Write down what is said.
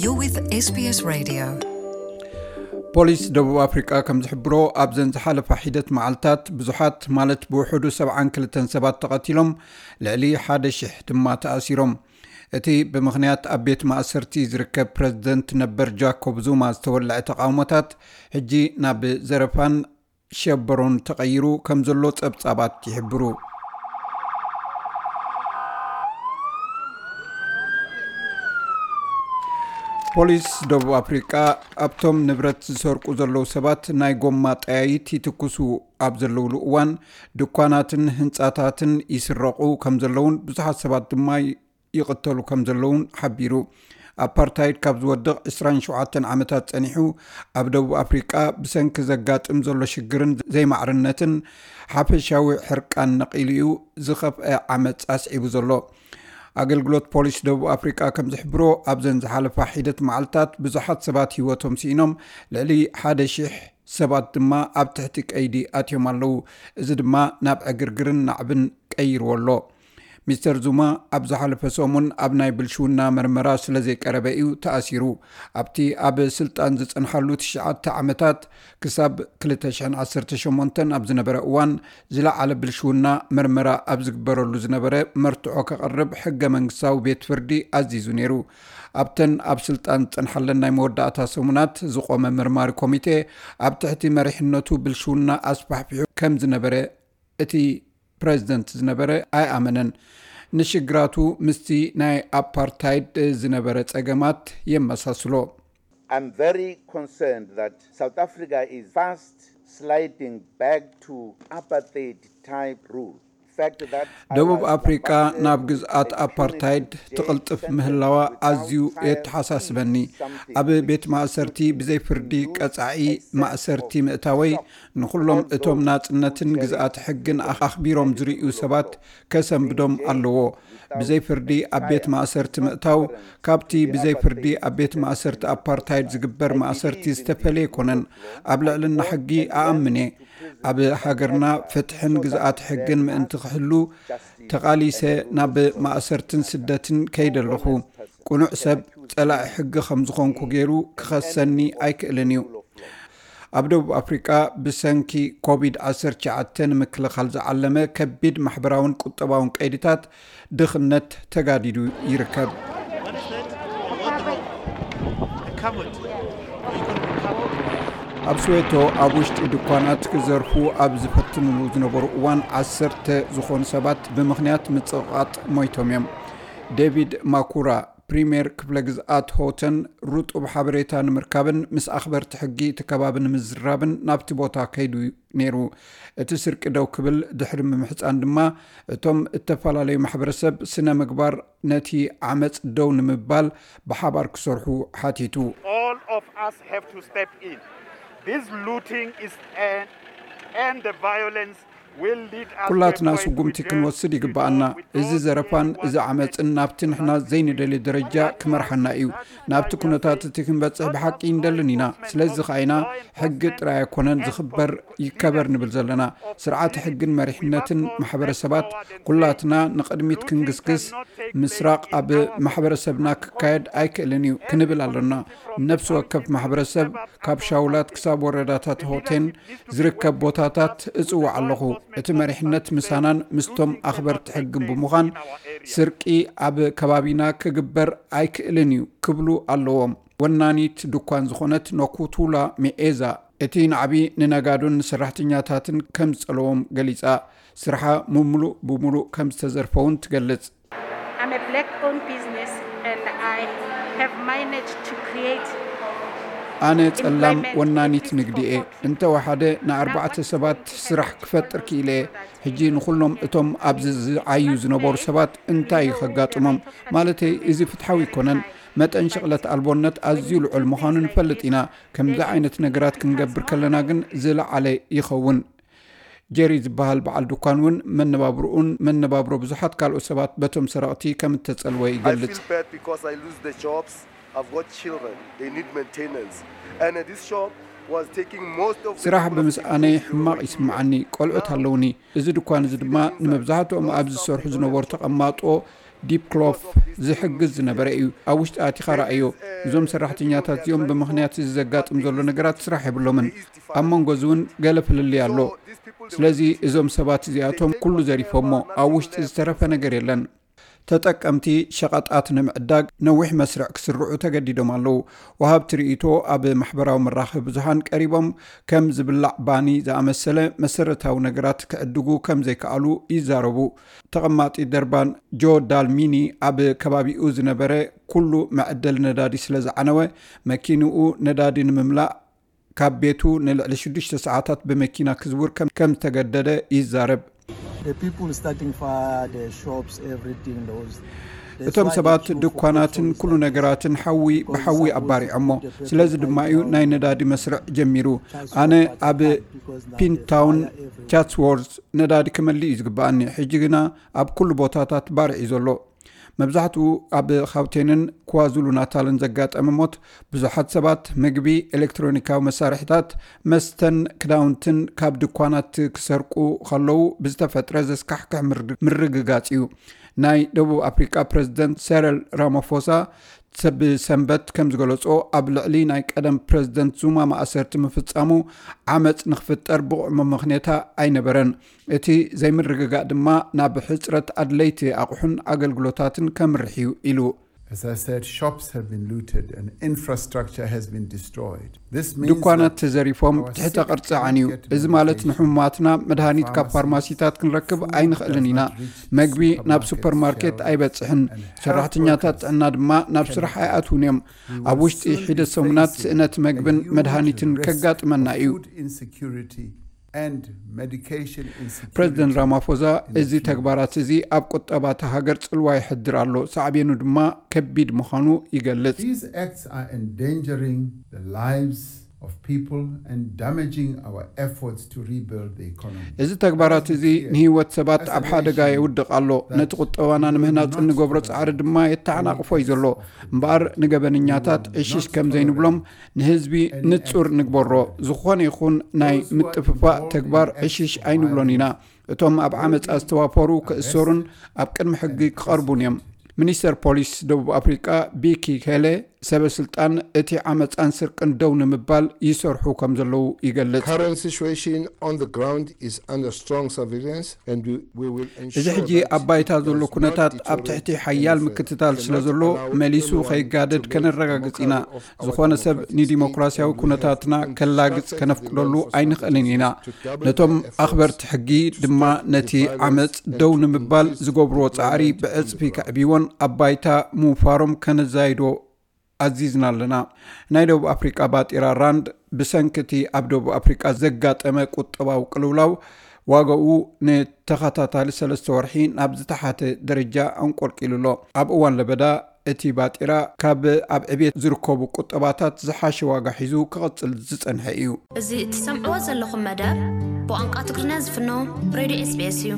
You're with S B S Radio. ፖሊስ ደቡብ ኣፍሪቃ ከም ዝሕብሮ፣ ኣብዘን ዝሓለፋ ሒደት መዓልታት ብዙሓት፣ ማለት ብውሕዱ ሰብዓን ክልተን ሰባት ተቐቲሎም፣ ልዕሊ ሓደ ሺሕ ድማ ተኣሲሮም። እቲ ብምኽንያት ኣብ ቤት ማእሰርቲ ዝርከብ ፕረዚደንት ነበር ጃኮብ ዙማ ዝተወልዐ ተቓውሞታት፣ ሕጂ ናብ ዘረፋን ሸበሮን ተቐይሩ ከም ዘሎ ጸብጻባት ይሕብሩ። ፖሊስ ደቡብ ኣፍሪቃ፣ ኣብቶም ንብረት ዝሰርቁ ዘለዉ ሰባት ናይ ጎማ ጠያይት ይትኩሱ ኣብ ዘለውሉ እዋን፣ ድኳናትን ህንጻታትን ይስረቑ ከም ዘለውን ብዙሓት ሰባት ድማ ይቕተሉ ከም ዘለውን ሓቢሩ። ኣፓርታይድ ካብ ዝወድቕ ዕስራን ሸውዓተን ዓመታት ጸኒሑ፣ ኣብ ደቡብ ኣፍሪቃ ብሰንኪ ዘጋጥም ዘሎ ሽግርን ዘይማዕርነትን፣ ሓፈሻዊ ሕርቃን ነቒሉ እዩ ዝኸፍአ ዓመጽ ኣስዒቡ ዘሎ። ኣገልግሎት ፖሊስ ደቡብ ኣፍሪቃ ከም ዝሕብሮ፣ ኣብዘን ዝሓለፋ ሒደት መዓልታት ብዙሓት ሰባት ህይወቶም ስኢኖም፣ ልዕሊ ሓደ ሺሕ ሰባት ድማ ኣብ ትሕቲ ቀይዲ ኣትዮም ኣለዉ። እዚ ድማ ናብ ዕግርግርን ናዕብን ቀይርዎ ኣሎ። ሚስተር ዙማ ኣብ ዝሓለፈ ሰሙን ኣብ ናይ ብልሽውና መርመራ ስለ ዘይቀረበ እዩ ተኣሲሩ። ኣብቲ ኣብ ስልጣን ዝጸንሓሉ ትሽዓተ ዓመታት፣ ክሳብ ክልተ ሽሕን ዓሰርተ ሸሞንተን ኣብ ዝነበረ እዋን፣ ዝለዓለ ብልሽውና መርመራ ኣብ ዝግበረሉ ዝነበረ መርትዖ ከቕርብ ሕገ መንግስታዊ ቤት ፍርዲ ኣዚዙ ነይሩ። ኣብተን ኣብ ስልጣን ዝጸንሓለን ናይ መወዳእታ ሰሙናት ዝቖመ መርማሪ ኮሚቴ፣ ኣብ ትሕቲ መሪሕነቱ ብልሽውና ኣስፋሕፊሑ ከም ዝነበረ እቲ ፕረዚደንት ዝነበረ ኣይኣመነን። ንሽግራቱ ምስቲ ናይ ኣፓርታይድ ዝነበረ ጸገማት የመሳስሎ። I'm very concerned that South Africa is fast sliding back to apartheid type rule. ደቡብ ኣፍሪቃ ናብ ግዝኣት ኣፓርታይድ ትቕልጥፍ ምህላዋ ኣዝዩ የተሓሳስበኒ። ኣብ ቤት ማእሰርቲ ብዘይ ፍርዲ ቀጻዒ ማእሰርቲ ምእታወይ፣ ንኹሎም እቶም ናጽነትን ግዝኣት ሕግን ኣኽቢሮም ዝርእዩ ሰባት ከሰንብዶም ኣለዎ። ብዘይ ፍርዲ ኣብ ቤት ማእሰርቲ ምእታው፣ ካብቲ ብዘይ ፍርዲ ኣብ ቤት ማእሰርቲ ኣፓርታይድ ዝግበር ማእሰርቲ ዝተፈለየ ኣይኮነን። ኣብ ልዕልና ሕጊ ኣኣምን እየ። ኣብ ሃገርና ፍትሕን ግዝኣት ሕግን ምእንቲ ክህሉ፣ ተቓሊሰ ናብ ማእሰርትን ስደትን ከይደ ኣለኹ። ቅኑዕ ሰብ፣ ጸላኢ ሕጊ ከም ዝኾንኩ ገይሩ ክኸሰኒ ኣይክእልን እዩ። ኣብ ደቡብ ኣፍሪቃ፣ ብሰንኪ ኮቪድ ዓሰርተ ትሽዓተ ንምክልኻል ዝዓለመ ከቢድ ማሕበራውን ቁጠባውን ቀይድታት፣ ድኽነት ተጋዲዱ ይርከብ። ኣብ ስዌቶ፣ ኣብ ውሽጢ ድኳናት ክዘርፉ ኣብ ዝፈትንሉ ዝነበሩ እዋን፣ ዓሰርተ ዝኾኑ ሰባት ብምኽንያት ምጽቕቓጥ ሞይቶም እዮም። ዴቪድ ማኩራ፣ ፕሪምየር ክፍለ ግዝኣት ሆተን፣ ርጡብ ሓበሬታ ንምርካብን ምስ ኣኽበርቲ ሕጊ እቲ ከባቢ ንምዝራብን ናብቲ ቦታ ከይዱ ነይሩ። እቲ ስርቂ ደው ክብል ድሕሪ ምምሕጻን ድማ፣ እቶም እተፈላለዩ ማሕበረሰብ ስነ ምግባር ነቲ ዓመጽ ደው ንምባል ብሓባር ክሰርሑ ሓቲቱ። All of us have to step in. This looting is and, and the violence will lead us to a ኩላትና point ስጉምቲ which ክንወስድ is ይግብኣና። wrong with እዚ those ዘረፋን who እዚ want ዓመፅን ናብቲ ንሕና ዘይንደልዮ ደረጃ ክመርሓና እዩ። ናብቲ ኩነታት እቲ ክንበፅሕ ብሓቂ እንደልን ኢና። ስለዚ ኸዓ ኢና ሕጊ ጥራይ ኣይኮነን ዝኽበር ይከበር ንብል ዘለና። ስርዓተ ሕግን መሪሕነትን ማሕበረሰባት ኩላትና ንቕድሚት ክንግስግስ፣ ምስራቕ ኣብ ማሕበረሰብና ክካየድ ኣይክእልን እዩ ክንብል ኣለና። ነፍሲ ወከፍ ማሕበረሰብ ካብ ሻውላት ክሳብ ወረዳታት ሆቴን ዝርከብ ቦታታት እጽውዕ ኣለኹ። እቲ መሪሕነት ምሳናን ምስቶም ኣኽበርቲ ሕግን ብምዃን ስርቂ ኣብ ከባቢና ክግበር ኣይክእልን እዩ ክብሉ ኣለዎም። ወናኒት ድኳን ዝኾነት ኖኩቱላ ሚኤዛ፣ እቲ ናዕቢ ንነጋዶን ንሰራሕተኛታትን ከም ዝጸለዎም ገሊጻ፣ ስርሓ ምምሉእ ብምሉእ ከም ዝተዘርፈ እውን ትገልጽ። I'm a black owned business and I have managed to create ኣነ ጸላም ወናኒት ንግዲ እየ። እንተወሓደ ንኣርባዕተ ሰባት ስራሕ ክፈጥር ክኢለ እየ። ሕጂ ንኹሎም እቶም ኣብዚ ዝዓዩ ዝነበሩ ሰባት እንታይ እዩ ከጋጥሞም? ማለተይ እዚ ፍትሓዊ ኣይኮነን። መጠን ሽቕለት ኣልቦነት ኣዝዩ ልዑል ምዃኑ ንፈልጥ ኢና። ከምዚ ዓይነት ነገራት ክንገብር ከለና ግን ዝለዓለ ይኸውን። ጀሪ ዝበሃል በዓል ድኳን እውን መነባብርኡን መነባብሮ ብዙሓት ካልኦት ሰባት በቶም ሰረቕቲ ከም እተጸልወ I ይገልጽ። feel bad because I lose the jobs. I've got children. They need maintenance. And uh, this shop was taking most of the ስራሕ people of the ብምስኣነይ youth. They were ሕማቕ working ይስምዓኒ። ቆልዑት ኣለውኒ። እዚ ድኳን እዚ ድማ ንመብዛሕትኦም ኣብ ዝሰርሑ ዝነበሩ ተቐማጦ ዲፕ ክሎፍ ዝሕግዝ ዝነበረ እዩ። ኣብ ውሽጢ ኣቲኻ ረኣዮ። እዞም ሰራሕተኛታት እዚኦም ብምኽንያት እዚ ዘጋጥም ዘሎ ነገራት ስራሕ የብሎምን። ኣብ መንጎ እዚ እውን ገለ ፍልልይ ኣሎ። ስለዚ እዞም ሰባት እዚኣቶም ኩሉ ዘሪፎሞ፣ ኣብ ውሽጢ ዝተረፈ ነገር የለን። ተጠቀምቲ ሸቐጣት ንምዕዳግ ነዊሕ መስርዕ ክስርዑ ተገዲዶም ኣለዉ። ወሃብቲ ርእይቶ ኣብ ማሕበራዊ መራኸቢ ብዙሃን ቀሪቦም፣ ከም ዝብላዕ ባኒ ዝኣመሰለ መሰረታዊ ነገራት ክዕድጉ ከም ዘይከኣሉ ይዛረቡ። ተቐማጢ ደርባን ጆ ዳልሚኒ ኣብ ከባቢኡ ዝነበረ ኩሉ መዐደሊ ነዳዲ ስለ ዝዓነወ፣ መኪንኡ ነዳዲ ንምምላእ ካብ ቤቱ ንልዕሊ ሽዱሽተ ሰዓታት ብመኪና ክዝውር ከም ከም ዝተገደደ ይዛረብ። The people starting far, the shops, everything, those. እቶም ሰባት ድኳናትን ኩሉ ነገራትን ሓዊ ብሓዊ ኣባሪዖሞ። ስለዚ ድማ እዩ ናይ ነዳዲ መስርዕ ጀሚሩ። ኣነ ኣብ ፒንታውን ቻትስዎርዝ ነዳዲ ክመልእ እዩ ዝግብኣኒ። ሕጂ ግና ኣብ ኩሉ ቦታታት ባርዕ እዩ ዘሎ። መብዛሕትኡ ኣብ ኻውቴንን ኳዙሉ ናታልን ዘጋጠመ ሞት፣ ብዙሓት ሰባት ምግቢ፣ ኤሌክትሮኒካዊ መሳርሒታት፣ መስተን ክዳውንትን ካብ ድኳናት ክሰርቁ ከለዉ ብዝተፈጥረ ዘስካሕክሕ ምርግ- ምርግጋጽ እዩ። ናይ ደቡብ ኣፍሪቃ ፕረዚደንት ሰረል ራማፎሳ ሰብ ሰንበት ከም ዝገለጾ፣ ኣብ ልዕሊ ናይ ቀደም ፕረዚደንት ዙማ ማእሰርቲ ምፍጻሙ ዓመጽ ንኽፍጠር ብቑዕ መመኽንያታ ኣይነበረን። እቲ ዘይምርግጋእ ድማ ናብ ሕጽረት ኣድለይቲ ኣቑሑን ኣገልግሎታትን ከምርሕ እዩ ኢሉ። As I said, shops have been looted and infrastructure has been destroyed. This means ድኳናት that ተዘሪፎም our ትሕተ sick ቅርጺ cannot ዓንዩ። Get እዚ ማለት medication. ንሕሙማትና መድሃኒት ካብ ፋርማሲታት ክንረክብ ኣይንኽእልን ኢና። መግቢ ናብ ሱፐርማርኬት ኣይበጽሕን። ሰራሕተኛታት ጥዕና ድማ ናብ ስራሕ ኣይኣትውን እዮም። ኣብ ውሽጢ ሒደት ሰሙናት ስእነት መግብን መድሃኒትን ከጋጥመና እዩ። Food insecurity and medication insecurity. ፕረዚደንት ራማፎዛ፣ እዚ ተግባራት እዚ ኣብ ቁጠባ እታ ሃገር ጽልዋ የሕድር ኣሎ፣ ሳዕቤኑ ድማ ከቢድ ምዃኑ ይገልጽ። These acts are endangering the lives of people and damaging our efforts to rebuild the economy. እዚ ተግባራት እዚ ንህይወት ሰባት ኣብ ሓደጋ የውድቕ ኣሎ። ነቲ ቁጠባና ንምህናጽ እንገብሮ ጻዕሪ ድማ የተዓናቕፎ እዩ ዘሎ። እምበኣር ንገበነኛታት ዕሽሽ ከም ዘይንብሎም ንህዝቢ ንጹር ንግበሮ። ዝኾነ ይኹን ናይ ምጥፍፋእ ተግባር ዕሽሽ ኣይንብሎን ኢና። እቶም ኣብ ዓመጻ ዝተዋፈሩ ክእሰሩን ኣብ ቅድሚ ሕጊ ክቐርቡን እዮም። ሚኒስተር ፖሊስ ደቡብ ኣፍሪቃ ቢኪ ሄለ፣ ሰበ ስልጣን እቲ ዓመጻን ስርቅን ደው ንምባል ይሰርሑ ከም ዘለዉ ይገልጽ። Current situation on the ground is under strong surveillance and we, we will ensure እዚ ሕጂ ኣብ ባይታ ዘሎ ኩነታት ኣብ ትሕቲ ሓያል ምክትታል ስለ ዘሎ፣ መሊሱ ከይጋደድ ከነረጋግጽ ኢና። ዝኾነ ሰብ ንዲሞክራሲያዊ ኩነታትና ከላግጽ ከነፍቅደሉ ኣይንኽእልን ኢና። ነቶም ኣኽበርቲ ሕጊ ድማ ነቲ ዓመጽ ደው ንምባል ዝገብርዎ ጻዕሪ ብዕጽፊ ከዕብይዎን ኣብ ባይታ ምውፋሮም ከነዛይዶ ኣዚዝና ኣለና። ናይ ደቡብ ኣፍሪቃ ባጤራ ራንድ ብሰንኪ እቲ ኣብ ደቡብ ኣፍሪቃ ዘጋጠመ ቁጠባዊ ቅልውላው ዋጋኡ ንተኸታታሊ ሰለስተ ወርሒ ናብ ዝተሓተ ደረጃ ኣንቆልቂሉ ኣሎ። ኣብ እዋን ለበዳ እቲ ባጤራ ካብ ኣብ ዕቤት ዝርከቡ ቁጠባታት ዝሓሸ ዋጋ ሒዙ ክቕጽል ዝጸንሐ እዩ። እዚ እትሰምዕዎ ዘለኹም መደብ ብቋንቋ ትግርኛ ዝፍኖ ሬድዮ ኤስቢኤስ እዩ።